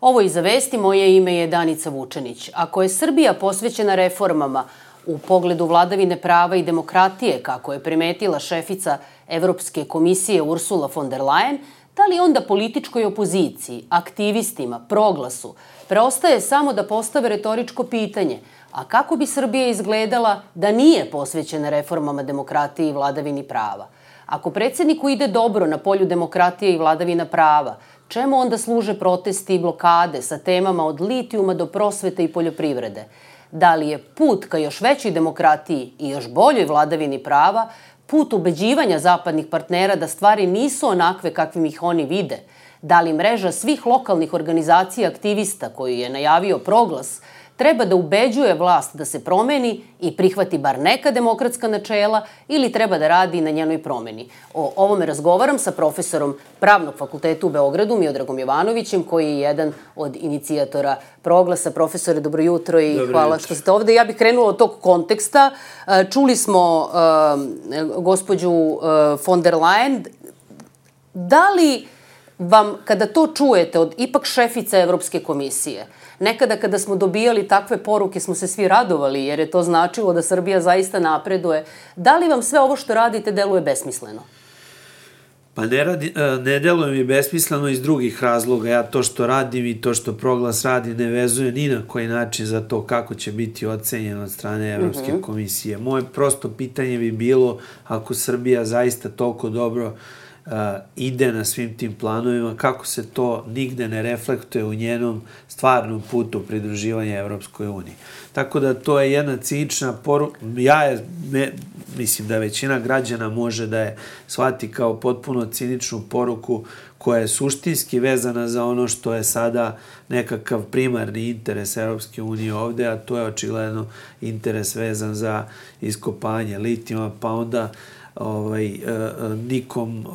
Ovo je Iza vesti, moje ime je Danica Vučenić. Ako je Srbija posvećena reformama u pogledu vladavine prava i demokratije, kako je primetila šefica Evropske komisije Ursula von der Leyen, da li onda političkoj opoziciji, aktivistima, Proglasu, preostaje samo da postave retoričko pitanje, a kako bi Srbija izgledala da nije posvećena reformama demokratije i vladavini prava? Ako predsjedniku ide dobro na polju demokratije i vladavina prava, čemu onda služe protesti i blokade sa temama od litijuma do prosvete i poljoprivrede? Da li je put ka još većoj demokratiji i još boljoj vladavini prava put ubeđivanja zapadnih partnera da stvari nisu onakve kakvim ih oni vide? Da li mreža svih lokalnih organizacija aktivista koju je najavio Proglas treba da ubeđuje vlast da se promeni i prihvati bar neka demokratska načela ili treba da radi na njenoj promeni? O ovome razgovaram sa profesorom Pravnog fakulteta u Beogradu, Miodragom Jovanovićem, koji je jedan od inicijatora Proglasa. Profesore, dobro jutro i hvala što ste ovde. Ja bih krenula od tog konteksta. Čuli smo gospođu von der Leyen. Da li vam, kada to čujete od ipak šefice Evropske komisije, nekada kada smo dobijali takve poruke smo se svi radovali jer je to značilo da Srbija zaista napreduje, da li vam sve ovo što radite deluje besmisleno? Pa ne deluje mi besmisleno iz drugih razloga. Ja to što radim i to što Proglas radi ne vezuje ni na koji način za to kako će biti ocenjeno od strane Evropske komisije. Moje prosto pitanje bi bilo, ako Srbija zaista toliko dobro ide na svim tim planovima, kako se to nigde ne reflektuje u njenom stvarnom putu pridruživanja Evropskoj uniji. Tako da to je jedna cinična poruka. Mislim da većina građana može da je shvati kao potpuno ciničnu poruku koja je suštinski vezana za ono što je sada nekakav primarni interes Evropske unije ovde, a to je očigledno interes vezan za iskopanje litijuma, pa onda nikom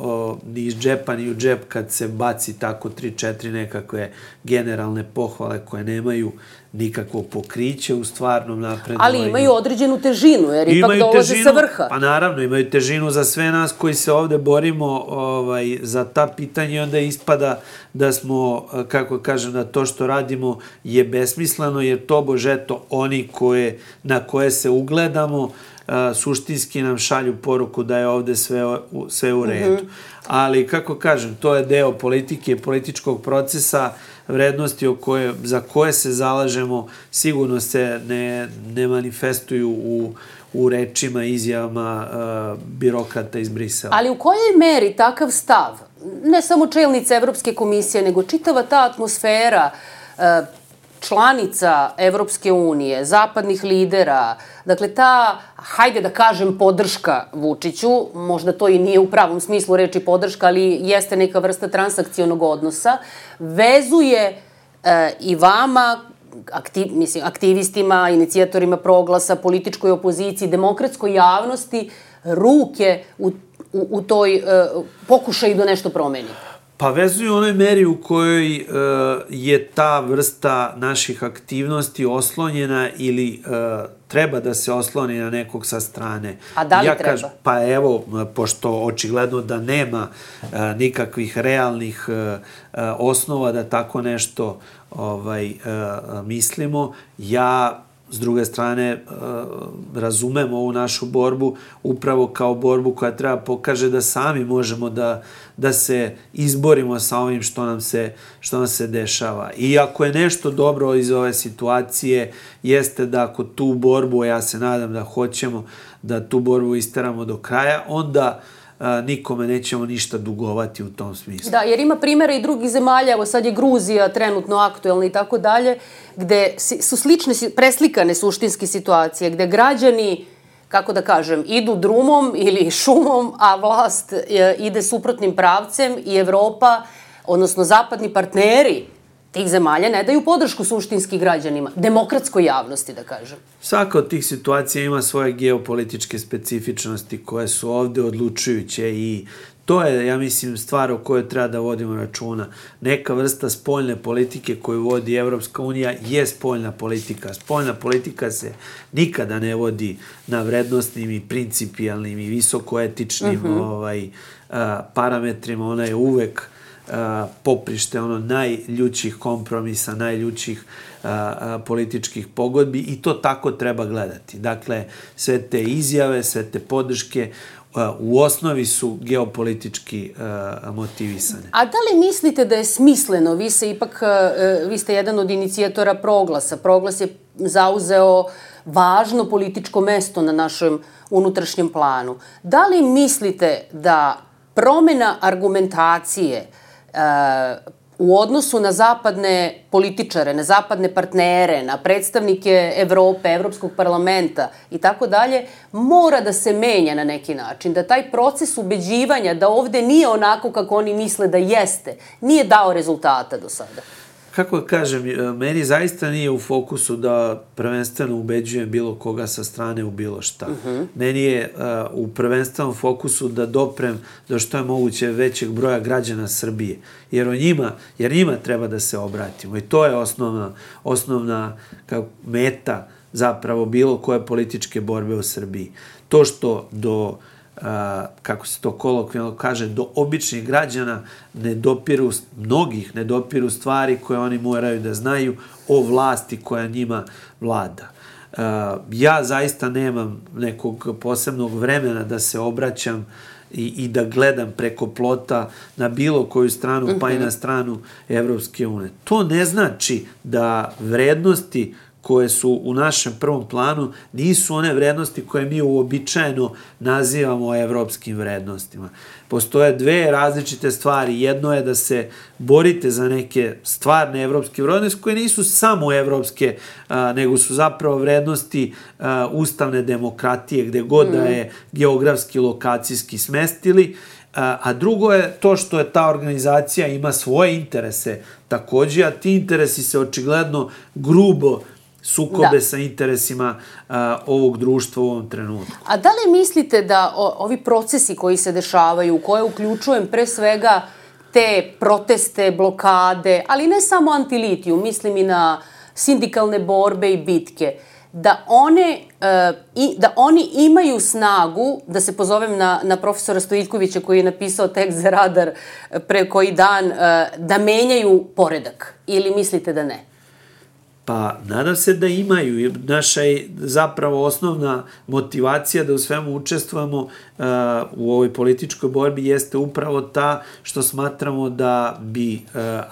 ni iz džepa ni u džep kad se baci tako 3-4 nekakve generalne pohvale koje nemaju nikakvo pokriće u stvarnom napredovanju. Ali imaju određenu težinu, jer ipak dolaze sa vrha. Pa naravno, imaju težinu za sve nas koji se ovde borimo za ta pitanja i onda ispada da smo, kako kažem, da to što radimo je besmisleno, jer tobože eto oni na koje se ugledamo suštinski nam šalju poruku da je ovde sve u redu. Ali, kako kažem, to je deo politike, političkog procesa, vrednosti za koje se zalažemo, sigurno se ne manifestuju u rečima, izjavama birokrata iz Brisela. Ali u kojoj meri takav stav, ne samo čelnice Evropske komisije, nego čitava ta atmosfera članica Evropske unije, zapadnih lidera, dakle ta, hajde da kažem, podrška Vučiću, možda to i nije u pravom smislu reči podrška, ali jeste neka vrsta transakcionog odnosa, vezuje i vama, aktivistima, inicijatorima Proglasa, političkoj opoziciji, demokratskoj javnosti, ruke u toj pokušaju da nešto promeni? Pa vezuju u onoj meri u kojoj je ta vrsta naših aktivnosti oslonjena ili treba da se osloni na nekog sa strane. A da li treba? Pa evo, pošto očigledno da nema nikakvih realnih osnova da tako nešto mislimo, ja s druge strane razumem ovu našu borbu upravo kao borbu koja treba pokaže da sami možemo da se izborimo sa ovim što nam se dešava. I ako je nešto dobro iz ove situacije, jeste da ako tu borbu, ja se nadam da hoćemo da tu borbu isteramo do kraja, onda nikome nećemo ništa dugovati u tom smislu. Da, jer ima primjera i drugih zemalja, evo sad je Gruzija trenutno aktuelna i tako dalje, gde su slične, preslikane suštinske situacije, gde građani, kako da kažem, idu drumom ili šumom, a vlast ide suprotnim pravcem i Evropa, odnosno zapadni partneri tih zemalja ne daju podršku suštinski građanima, demokratskoj javnosti, da kažem. Svaka od tih situacija ima svoje geopolitičke specifičnosti koje su ovde odlučujuće i to je, ja mislim, stvar o kojoj treba da vodimo računa. Neka vrsta spoljne politike koju vodi Evropska unija je spoljna politika. Spoljna politika se nikada ne vodi na vrednostnim i principijalnim i visokoetičnim parametrima. Ona je uvek poprište najljućih kompromisa, najljućih političkih pogodbi i to tako treba gledati. Dakle, sve te izjave, sve te podrške u osnovi su geopolitički motivisane. A da li mislite da je smisleno, vi ste jedan od inicijatora Proglasa, Proglas je zauzeo važno političko mesto na našem unutrašnjem planu. Da li mislite da promena argumentacije u odnosu na zapadne političare, na zapadne partnere, na predstavnike Evrope, Evropskog parlamenta i tako dalje, mora da se menja na neki način, da taj proces ubeđivanja da ovde nije onako kako oni misle da jeste, nije dao rezultata do sada? Kako kažem, meni zaista nije u fokusu da prvenstveno ubeđujem bilo koga sa strane u bilo šta. Meni je u prvenstvenom fokusu da doprem do što je moguće većeg broja građana Srbije. Jer njima treba da se obratimo. I to je osnovna meta zapravo bilo koje političke borbe u Srbiji. To što kako se to kolokvijalno kaže, do običnih građana mnogih ne dopiru stvari koje oni moraju da znaju o vlasti koja njima vlada. Ja zaista nemam nekog posebnog vremena da se obraćam i da gledam preko plota na bilo koju stranu, pa i na stranu Evropske unije. To ne znači da vrednosti koje su u našem prvom planu nisu one vrednosti koje mi uobičajeno nazivamo evropskim vrednostima. Postoje dve različite stvari. Jedno je da se borite za neke stvarne evropske vrednosti koje nisu samo evropske, nego su zapravo vrednosti ustavne demokratije gde god da je geografski, lokacijski smestili. A drugo je to što je ta organizacija ima svoje interese takođe, a ti interesi se očigledno grubo sukobe sa interesima ovog društva u ovom trenutku. A da li mislite da ovi procesi koji se dešavaju, u koje uključujem pre svega te proteste, blokade, ali ne samo antilitijum, mislim i na sindikalne borbe i bitke, da oni imaju snagu, da se pozovem na profesora Stojiljkovića koji je napisao tekst za Radar pre koji dan, da menjaju poredak? Ili mislite da ne? Pa, nadam se da imaju. Naša je zapravo osnovna motivacija da u svemu učestvujemo u ovoj političkoj borbi jeste upravo ta što smatramo da bi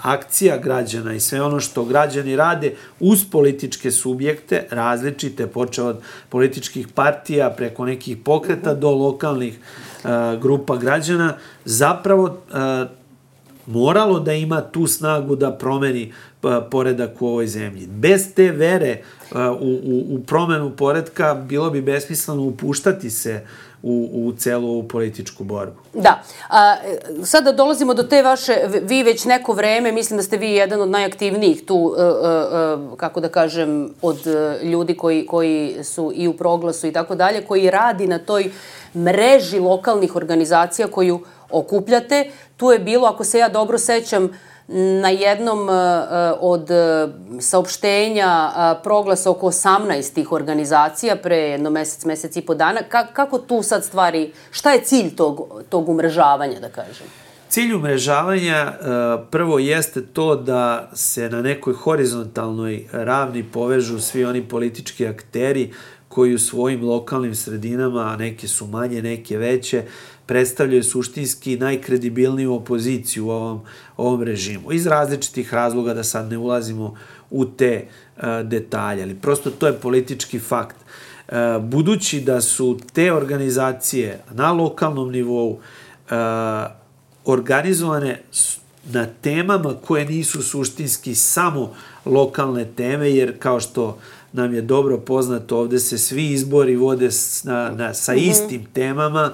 akcija građana i sve ono što građani rade uz političke subjekte, različite, počeo od političkih partija preko nekih pokreta do lokalnih grupa građana, zapravo moralo da ima tu snagu da promeni poredak u ovoj zemlji. Bez te vere u promenu poredka bilo bi besmisleno upuštati se u celu ovu političku borbu. Da. Sada dolazimo do te vaše, vi već neko vreme, mislim da ste vi jedan od najaktivnijih tu, kako da kažem, od ljudi koji su i u Proglasu i tako dalje, koji radi na toj mreži lokalnih organizacija koju okupljate. Tu je bilo, ako se ja dobro sećam, na jednom od saopštenja Proglasa oko 18 tih organizacija pre jedno mesec i po dana. Kako tu sad stvari, šta je cilj tog umrežavanja, da kažem? Cilj umrežavanja prvo jeste to da se na nekoj horizontalnoj ravni povežu svi oni politički akteri koji u svojim lokalnim sredinama, neke su manje, neke veće, predstavljaju suštinski najkredibilniju opoziciju u ovom režimu. Iz različitih razloga, da sad ne ulazimo u te detalje, ali prosto to je politički fakt. Budući da su te organizacije na lokalnom nivou organizovane na temama koje nisu suštinski samo lokalne teme, jer kao što nam je dobro poznato, ovde se svi izbori vode sa istim temama.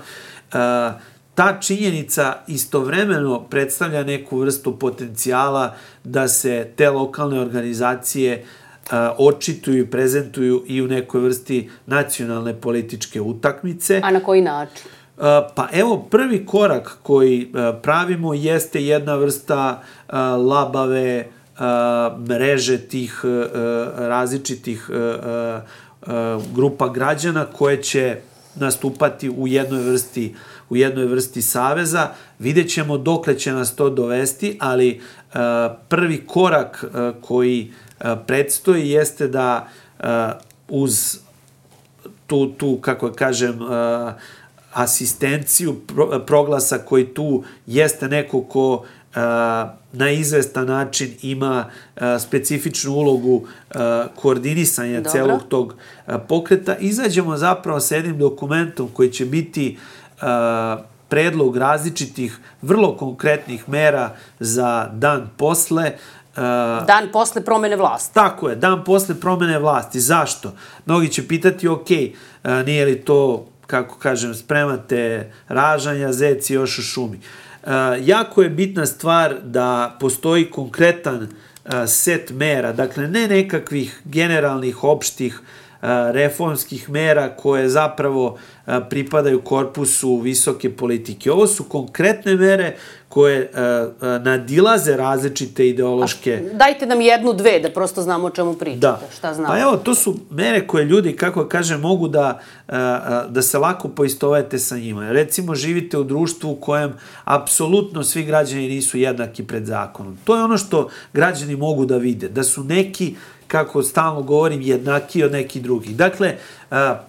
Ta činjenica istovremeno predstavlja neku vrstu potencijala da se te lokalne organizacije očituju i prezentuju i u nekoj vrsti nacionalne političke utakmice. A na koji način? Pa evo, prvi korak koji pravimo jeste jedna vrsta labave mreže tih različitih grupa građana koje će nastupati u jednoj vrsti saveza. Vidjet ćemo dokle će nas to dovesti, ali prvi korak koji predstoji jeste da uz tu kako kažem, asistenciju Proglasa koji tu jeste neko ko na izvestan način ima specifičnu ulogu koordinisanja celog tog pokreta, izađemo zapravo sa jednim dokumentom koji će biti predlog različitih, vrlo konkretnih mera za dan posle. Dan posle promene vlasti. Tako je, dan posle promene vlasti. Zašto? Mnogi će pitati, ok, nije li to, kako kažem, spremate ražanja, zeci još u šumi. Jako je bitna stvar da postoji konkretan set mera, dakle ne nekakvih generalnih, opštih, reformskih mera koje zapravo pripadaju korpusu visoke politike. Ovo su konkretne mere koje nadilaze različite ideološke... Dajte nam jednu, dve, da prosto znamo o čemu pričate. Šta znamo? Pa evo, to su mere koje ljudi, kako kažem, mogu da se lako poistovete sa njima. Recimo, živite u društvu u kojem apsolutno svi građani nisu jednaki pred zakonom. To je ono što građani mogu da vide, da su neki, kako stalno govorim, jednaki od nekih drugih. Dakle,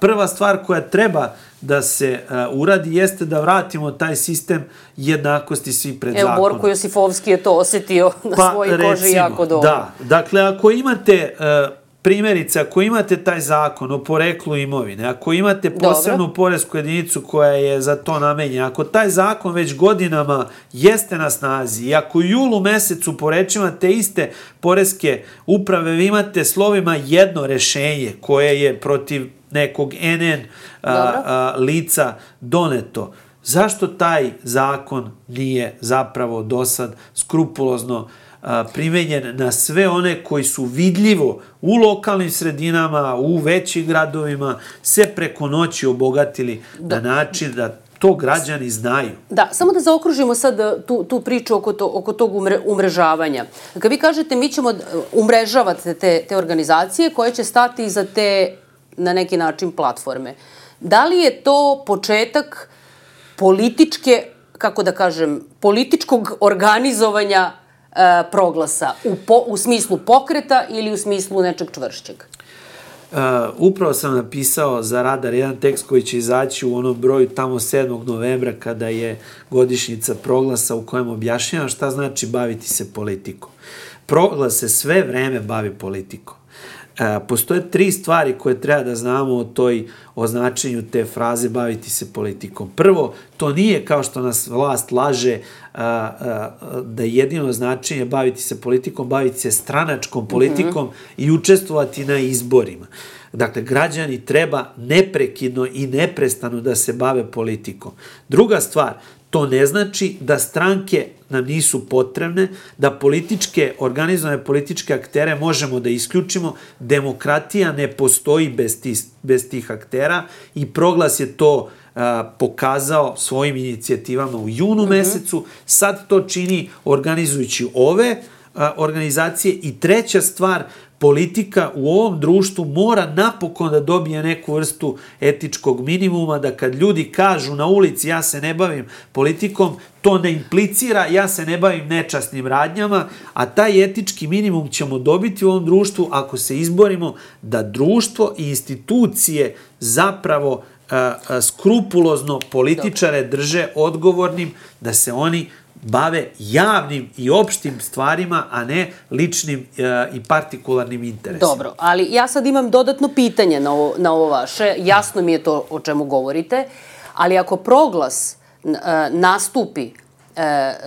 prva stvar koja treba da se uradi jeste da vratimo taj sistem jednakosti svi pred zakonom. Evo, Borko Josifovski je to osetio na svojoj koži jako dobro. Da, dakle, ako imate primjerice, ako imate taj zakon o poreklu imovine, ako imate posebnu poresku jedinicu koja je za to namenjena, ako taj zakon već godinama jeste na snazi i ako u julu mesecu po rečima te iste poreske uprave vi imate slovima jedno rešenje koje je protiv nekog NN lica doneto, zašto taj zakon nije zapravo do sad skrupulozno primenjen na sve one koji su vidljivo u lokalnim sredinama, u većim gradovima, se preko noći obogatili na način da to građani znaju. Da, samo da zaokružimo sad tu priču oko tog umrežavanja. Kad vi kažete mi ćemo umrežavati te organizacije koje će stati iza te, na neki način, platforme. Da li je to početak političke, kako da kažem, političkog organizovanja Proglasa u smislu pokreta ili u smislu nečeg čvršćeg? Upravo sam napisao za Radar jedan tekst koji će izaći u onom broju tamo 7. novembra kada je godišnjica Proglasa u kojem objašnjavam šta znači baviti se politikom. Proglas se sve vreme bavi politikom. Postoje 3 stvari koje treba da znamo o značenju te fraze baviti se politikom. Prvo, to nije kao što nas vlast laže da jedino značenje baviti se politikom, baviti se stranačkom politikom i učestvovati na izborima. Dakle, građani treba neprekidno i neprestano da se bave politikom. Druga stvar, to ne znači da stranke nam nisu potrebne, da organizovane političke aktere možemo da isključimo. Demokratija ne postoji bez tih aktera i Proglas je to pokazao svojim inicijativama u junu mesecu. Sad to čini organizujući ove organizacije. I treća stvar, politika u ovom društvu mora napokon da dobije neku vrstu etičkog minimuma, da kad ljudi kažu na ulici ja se ne bavim politikom, to ne implicira ja se ne bavim nečasnim radnjama, a taj etički minimum ćemo dobiti u ovom društvu ako se izborimo da društvo i institucije zapravo skrupulozno političare drže odgovornim, da se oni bave javnim i opštim stvarima, a ne ličnim i partikularnim interesima. Dobro, ali ja sad imam dodatno pitanje na ovo vaše. Jasno mi je to o čemu govorite, ali ako Proglas nastupi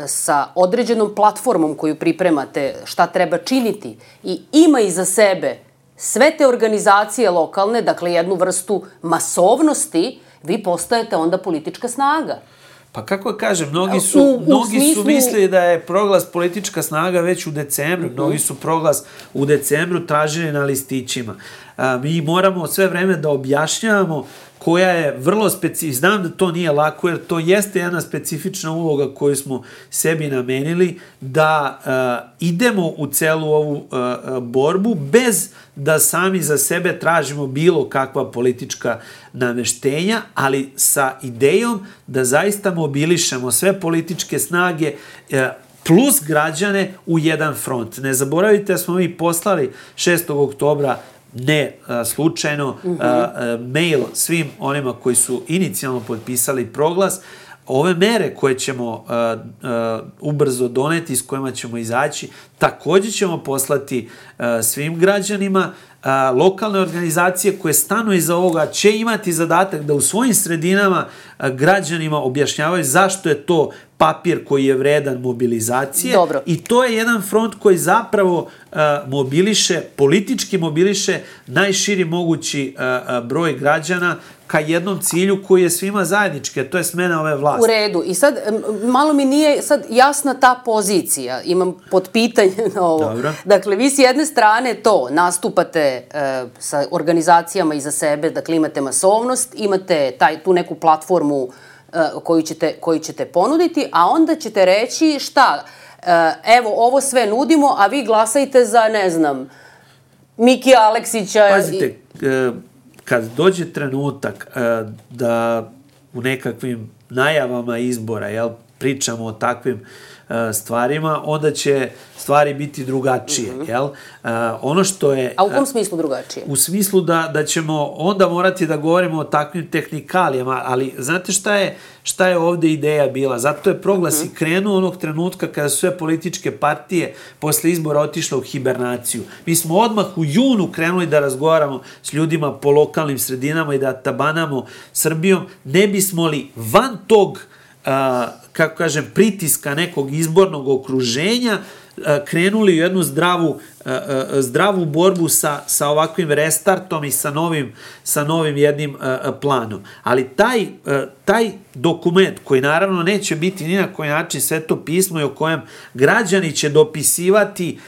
sa određenom platformom koju pripremate, šta treba činiti, i ima iza sebe sve te organizacije lokalne, dakle jednu vrstu masovnosti, vi postajete onda politička snaga. Pa kako kažem, mnogi su mislili da je Proglas politička snaga već u decembru. Mnogi su Proglas u decembru tražili na listićima. Mi moramo sve vreme da objašnjavamo koja je vrlo specifična. Znam da to nije lako, jer to jeste jedna specifična uloga koju smo sebi namenili, da idemo u celu ovu borbu bez da sami za sebe tražimo bilo kakva politička nameštenja, ali sa idejom da zaista mobilišemo sve političke snage plus građane u jedan front. Ne zaboravite da smo mi poslali 6. oktobra ne slučajno mail svim onima koji su inicijalno potpisali proglas. Ove mere koje ćemo ubrzo doneti, s kojima ćemo izaći, također ćemo poslati svim građanima. Lokalne organizacije koje stanu iza ovoga će imati zadatak da u svojim sredinama građanima objašnjavaju zašto je to papir koji je vredan mobilizacije. Dobro. I to je jedan front koji zapravo mobiliše, politički mobiliše najširi mogući broj građana ka jednom cilju koji je svima zajednički, a to je smena ove vlasti. U redu. I sad, malo mi nije sad jasna ta pozicija. Imam potpitanje na ovo. Dobro. Dakle, vi s jedne strane to nastupate sa organizacijama iza sebe, dakle imate masovnost, imate tu neku platformu koju ćete ponuditi, a onda ćete reći šta, evo ovo sve nudimo, a vi glasajte za, ne znam, Miki Aleksića. Pazite, kad dođe trenutak da u nekakvim najavama izbora pričamo o takvim stvarima, onda će stvari biti drugačije. Ono što je... A u kom smislu drugačije? U smislu da ćemo onda morati da govorimo o takvim tehnikalijama, ali znate šta je ovde ideja bila? Zato je proglas i krenuo onog trenutka kada su sve političke partije posle izbora otišle u hibernaciju. Mi smo odmah u junu krenuli da razgovaramo s ljudima po lokalnim sredinama i da tabanamo Srbijom. Ne bismo li van tog kako kažem, pritiska nekog izbornog okruženja krenuli u jednu zdravu borbu sa ovakvim restartom i sa novim jednim planom. Ali taj dokument, koji naravno neće biti ni na koji način sveto pismo i o kojem građani će dopisivati,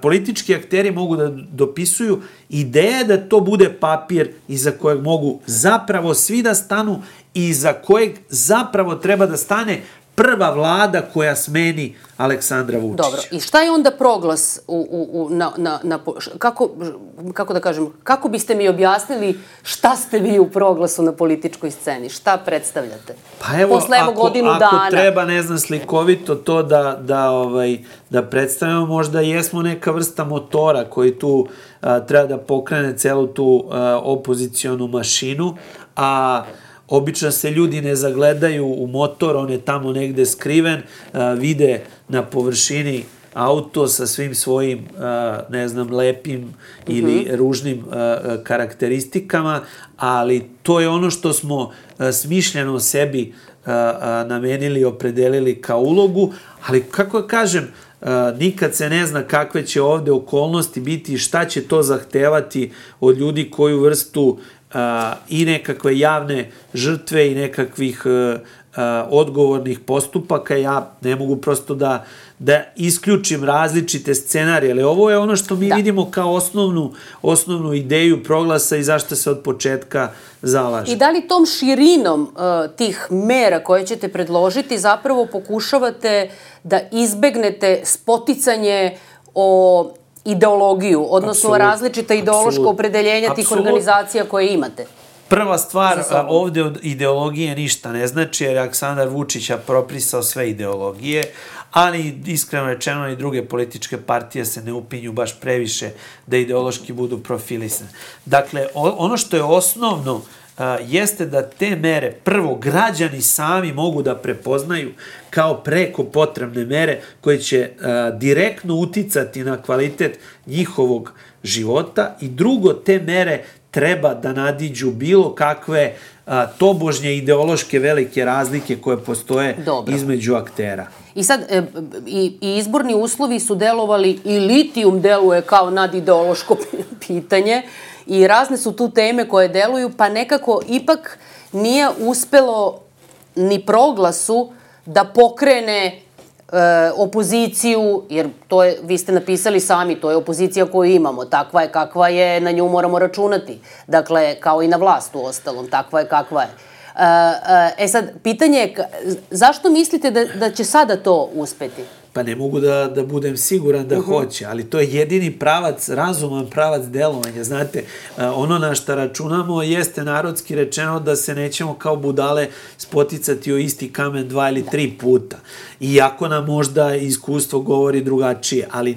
politički akteri mogu da dopisuju, ideja je da to bude papir iza kojeg mogu zapravo svi da stanu i iza kojeg zapravo treba da stane prva vlada koja smeni Aleksandra Vučića. Dobro. I šta je onda proglas kako da kažem, kako biste mi objasnili šta ste vi u proglasu na političkoj sceni? Šta predstavljate? Pa evo, posle godinu dana. Ako treba, ne znam, slikovito to da predstavimo, možda jesmo neka vrsta motora koji tu treba da pokrene celu tu opozicionu mašinu, a obično se ljudi ne zagledaju u motor, on je tamo negde skriven, vide na površini auto sa svim svojim, ne znam, lepim ili ružnim karakteristikama, ali to je ono što smo smišljeno sebi namenili i opredelili kao ulogu, ali kako kažem, nikad se ne zna kakve će ovde okolnosti biti i šta će to zahtevati od ljudi koju vrstu i nekakve javne žrtve i nekakvih odgovornih postupaka. Ja ne mogu prosto da isključim različite scenarije, ali ovo je ono što mi vidimo kao osnovnu ideju proglasa i zašto se od početka zalaže. I da li tom širinom tih mera koje ćete predložiti zapravo pokušavate da izbegnete spoticanje o ideologiju, odnosno različita ideološka opredeljenja tih organizacija koje imate? Prva stvar, ovde od ideologije ništa ne znači, jer Aleksandar Vučić je proprisao sve ideologije, ali iskreno rečeno i druge političke partije se ne upinju baš previše da ideološki budu profilisane. Dakle, ono što je osnovno jeste da te mere prvo građani sami mogu da prepoznaju kao preko potrebne mere koje će direktno uticati na kvalitet njihovog života, i drugo, te mere treba da nadiđu bilo kakve tobožnje ideološke velike razlike koje postoje između aktera. I sad, i izborni uslovi su delovali, i litijum deluje kao nadideološko pitanje, i razne su tu teme koje deluju, pa nekako ipak nije uspelo ni proglasu da pokrene opoziciju, jer to je, vi ste napisali sami, to je opozicija koju imamo, takva je kakva je, na nju moramo računati. Dakle, kao i na vlast u ostalom, takva je kakva je. Sad, pitanje je, zašto mislite da će sada to uspeti? Pa ne mogu da budem siguran da hoće, ali to je jedini pravac, razuman pravac delovanja. Znate, ono na šta računamo jeste narodski rečeno da se nećemo kao budale spoticati o isti kamen 2 ili 3 puta. Iako nam možda iskustvo govori drugačije, ali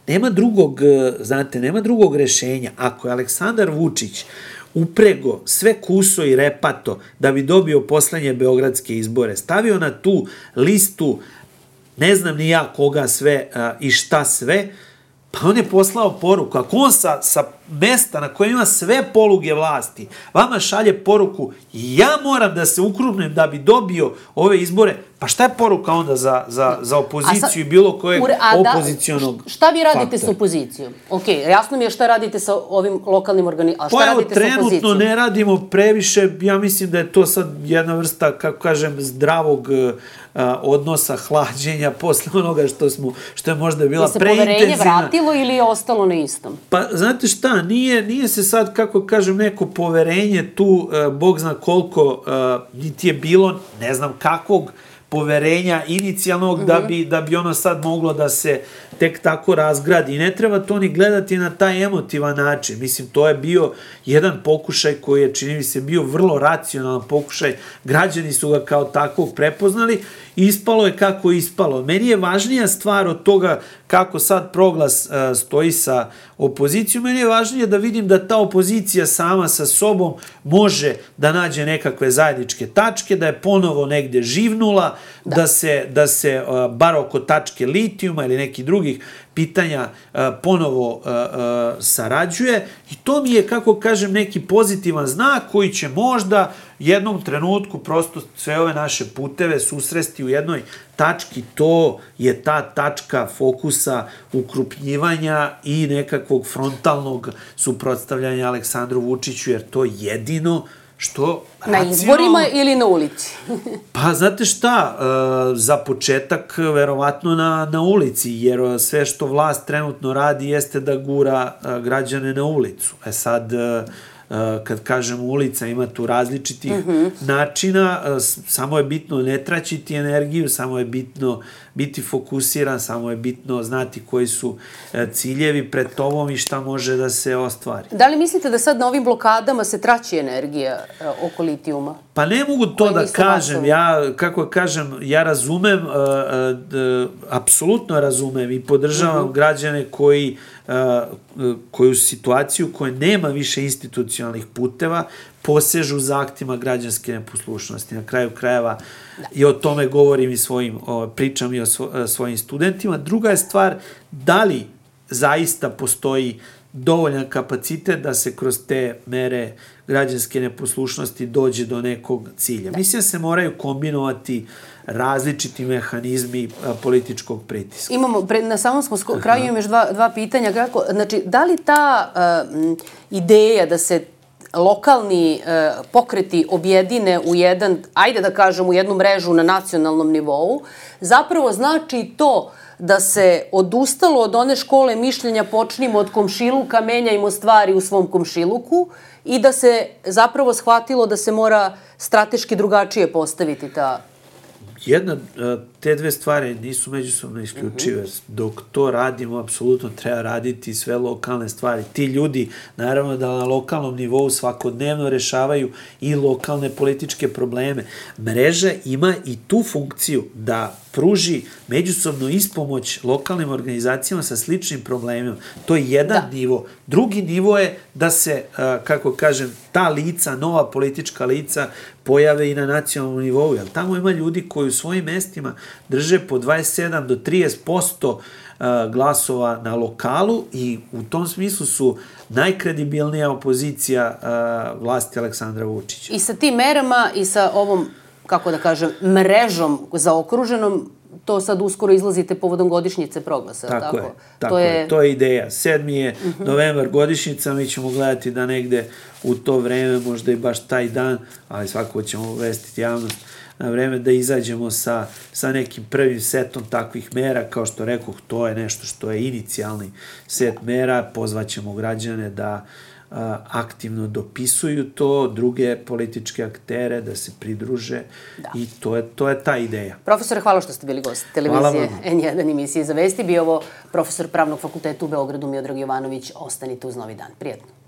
nema drugog, znate, nema drugog rešenja. Ako je Aleksandar Vučić uprego sve kuso i repato da bi dobio poslednje beogradske izbore, stavio na tu listu ne znam ni ja koga sve i šta sve, pa on je poslao poruku. Ako on sa mesta na kojem ima sve poluge vlasti vama šalje poruku, ja moram da se ukrupnem da bi dobio ove izbore, pa šta je poruka onda za opoziciju i bilo kojeg opozicionog faktora? Šta vi radite s opozicijom? Ok, jasno mi je šta radite sa ovim lokalnim organizacijama, a šta radite sa opozicijom? Trenutno ne radimo previše, ja mislim da je to sad jedna vrsta, kako kažem, zdravog odnosa, hlađenja posle onoga što je možda bila preintenzivna. Je se poverenje vratilo ili je ostalo na istom? Pa, znate šta, nije se sad, kako kažem, neko poverenje tu, Bog zna koliko, niti je bilo, ne znam kakvog poverenja inicijalnog da bi ono sad moglo da se tek tako razgradi. I ne treba to ni gledati na taj emotivan način. Mislim, to je bio jedan pokušaj koji je, čini mi se, bio vrlo racionalan pokušaj. Građani su ga kao takvog prepoznali i ispalo je kako je ispalo. Meni je važnija stvar od toga kako sad Proglas stoji sa opozicijom. Meni je važnije da vidim da ta opozicija sama sa sobom može da nađe nekakve zajedničke tačke, da je ponovo negde živnula, da se bar oko tačke litijuma ili nekih drugih pitanja ponovo sarađuje i to mi je, kako kažem, neki pozitivan znak koji će možda jednom trenutku prosto sve ove naše puteve susresti u jednoj tački. To je ta tačka fokusa ukrupnjivanja i nekakvog frontalnog suprotstavljanja Aleksandru Vučiću, jer to jedino što na izborima ili na ulici? Pa, znate šta, za početak verovatno na ulici, jer sve što vlast trenutno radi jeste da gura građane na ulicu. Sad, kad kažem ulica, ima tu različitih načina, samo je bitno ne traćiti energiju, samo je bitno biti fokusiran, samo je bitno znati koji su ciljevi pred tobom i šta može da se ostvari. Da li mislite da sad na ovim blokadama se traći energija oko litijuma? Pa ne mogu to da kažem. Ja, kako kažem, ja razumem, apsolutno razumem i podržavam građane koju situaciju koja nema više institucionalnih puteva posežu za aktima građanske neposlušnosti. Na kraju krajeva i o tome govorim i pričam i o svojim studentima. Druga je stvar, da li zaista postoji dovoljan kapacitet da se kroz te mere građanske neposlušnosti dođe do nekog cilja. Mislim da se moraju kombinovati različiti mehanizmi političkog pritiska. Na samom smo kraju imamo još dva pitanja. Znači, da li ta ideja da se lokalni pokreti objedine u jedan, ajde da kažem, u jednu mrežu na nacionalnom nivou, zapravo znači to da se odustalo od one škole mišljenja počnimo od komšiluka, menjajmo stvari u svom komšiluku i da se zapravo shvatilo da se mora strateški drugačije postaviti ta... Te dve stvari nisu međusobno isključive. Dok to radimo, apsolutno treba raditi sve lokalne stvari. Ti ljudi, naravno da na lokalnom nivou svakodnevno rešavaju i lokalne političke probleme. Mreža ima i tu funkciju da pruži međusobno ispomoć lokalnim organizacijama sa sličnim problemima. To je jedan nivo. Drugi nivo je da se, kako kažem, ta lica, nova politička lica pojave i na nacionalnom nivou. Jer tamo ima ljudi koji u svojim mestima drže po 27 do 30% glasova na lokalu i u tom smislu su najkredibilnija opozicija vlasti Aleksandra Vučića. I sa tim merama i sa ovom, kako da kažem, mrežom zaokruženom, to sad uskoro izlazite povodom godišnjice Proglasa, tako? Tako je, to je ideja. 7. je novembar godišnjica, mi ćemo gledati da negde u to vreme, možda i baš taj dan, ali svakako ćemo obvestiti javnost na vreme da izađemo sa nekim prvim setom takvih mera. Kao što rekoh, to je nešto što je inicijalni set mera. Pozvaćemo građane da aktivno dopisuju to, druge političke aktere da se pridruže i to je ta ideja. Profesore, hvala što ste bili gost televizije N1 emisije Za vesti. Bio ovo profesor Pravnog fakulteta u Beogradu Miodrag Jovanović. Ostanite uz Novi dan. Prijetno.